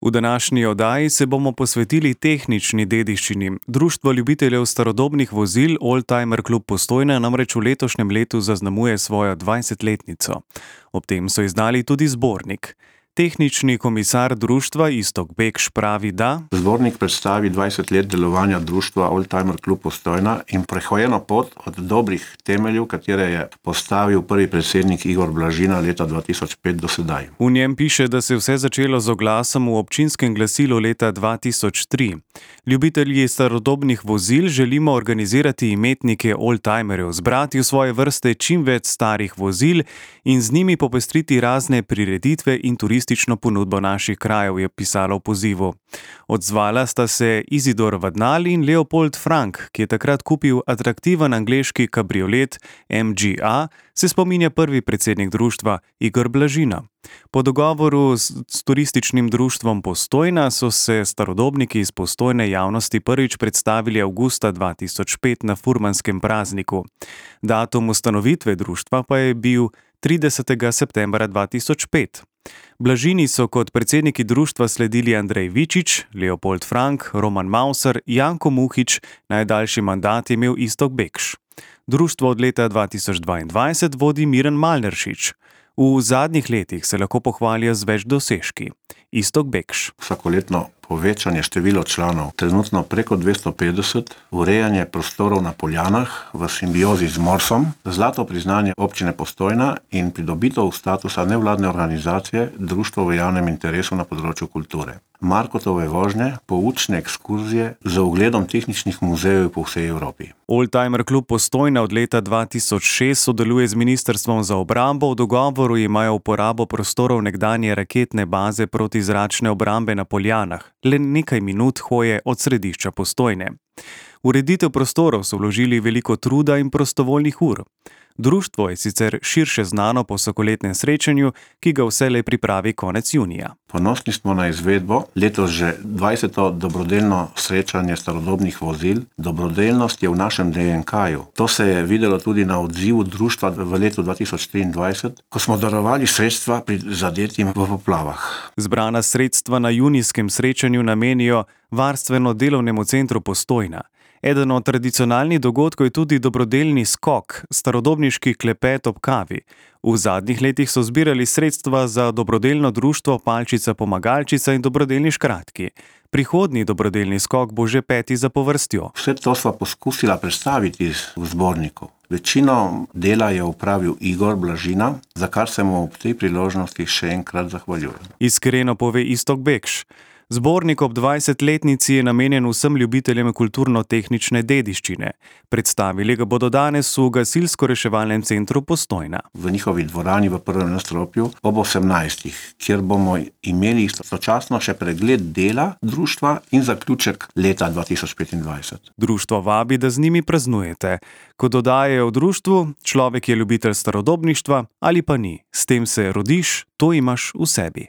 V današnji oddaji se bomo posvetili tehnični dediščini. Društvo ljubiteljev starodobnih vozil Oldtimer klub Postojna namreč v letošnjem letu zaznamuje svojo 20-letnico. Ob tem so izdali tudi zbornik. Tehnični komisar društva Iztok Bekš pravi, da zbornik predstavi 20 let delovanja društva Oldtimer klub Postojna in prehojeno pot od dobrih temeljev, katere je postavil prvi predsednik Igor Blažina leta 2005 do sedaj. V njem piše, da se je vse začelo z oglasom v občinskem glasilu leta 2003. Ljubitelji starodobnih vozil želimo organizirati imetnike oldtimerjev, zbrati v svoje vrste čim več starih vozil in z njimi popestriti razne prireditve in turistično ponudbo naših krajev, je pisalo v pozivu. Odzvala sta se Izidor Vadnal in Leopold Frank, ki je takrat kupil atraktiven angleški kabriolet MGA, se spominja prvi predsednik društva Igor Blažina. Po dogovoru s turističnim društvom Postojna so se starodobniki iz Postojne javnosti prvič predstavili avgusta 2005 na furmanskem prazniku. Datum ustanovitve društva pa je bil 30. septembra 2005. Blažini so kot predsedniki društva sledili Andrej Vičič, Leopold Frank, Roman Mauser, Janko Muhič, najdaljši mandat je imel Iztok Bekš. Društvo od leta 2022 vodi Miran Malneršič. V zadnjih letih se lahko pohvalijo z več dosežki. Iztok Bekš. Vsakoletno povečanje števila članov, trenutno preko 250, urejanje prostorov na Poljanah v simbiozi z Morsom, zlato priznanje občine Postojna in pridobitev statusa nevladne organizacije društvo v javnem interesu na področju kulture. Markotove vožnje, poučne ekskurzije z ogledom tehničnih muzejev po vsej Evropi. Oldtimer klub Postojna od leta 2006 sodeluje z Ministrstvom za obrambo. V dogovoru imajo uporabo prostorov nekdanje raketne baze protizračne obrambe na Poljanah, le nekaj minut hoje od središča Postojne. Ureditev prostorov so vložili veliko truda in prostovoljnih ur. Društvo je sicer širše znano po vsakoletnem srečanju, ki ga vselej pripravi konec junija. Ponosni smo na izvedbo, letos že 20. dobrodelno srečanje starodobnih vozil. Dobrodelnost je v našem DNK-ju. To se je videlo tudi na odzivu društva v letu 2023, ko smo darovali sredstva prizadetim v poplavah. Zbrana sredstva na junijskem srečanju namenijo varstveno-delovnemu centru Postojna. Eden od tradicionalnih dogodkov je tudi dobrodelni skok, starodobniški klepet ob kavi. V zadnjih letih so zbirali sredstva za dobrodelno društvo Palčica Pomagalčica in dobrodelni škratki. Prihodnji dobrodelni skok bo že 5. zapovrstjo. Vse to sva poskusila predstaviti v zborniku. Večino dela je opravil Igor Blažina, za kar se mu ob tej priložnosti še enkrat zahvaljujem. Iskreno pove Iztok Bekš. Zbornik ob 20-letnici je namenjen vsem ljubiteljem kulturno-tehnične dediščine. Predstavili ga bodo danes v gasilsko-reševalnem centru Postojna. V njihovi dvorani v prvem nadstropju ob 18. kjer bomo imeli sočasno še pregled dela društva in zaključek leta 2025. Društvo vabi, da z njimi praznujete. Ko dodajajo v društvu, človek je ljubitelj starodobništva ali pa ni. S tem se rodiš, to imaš v sebi.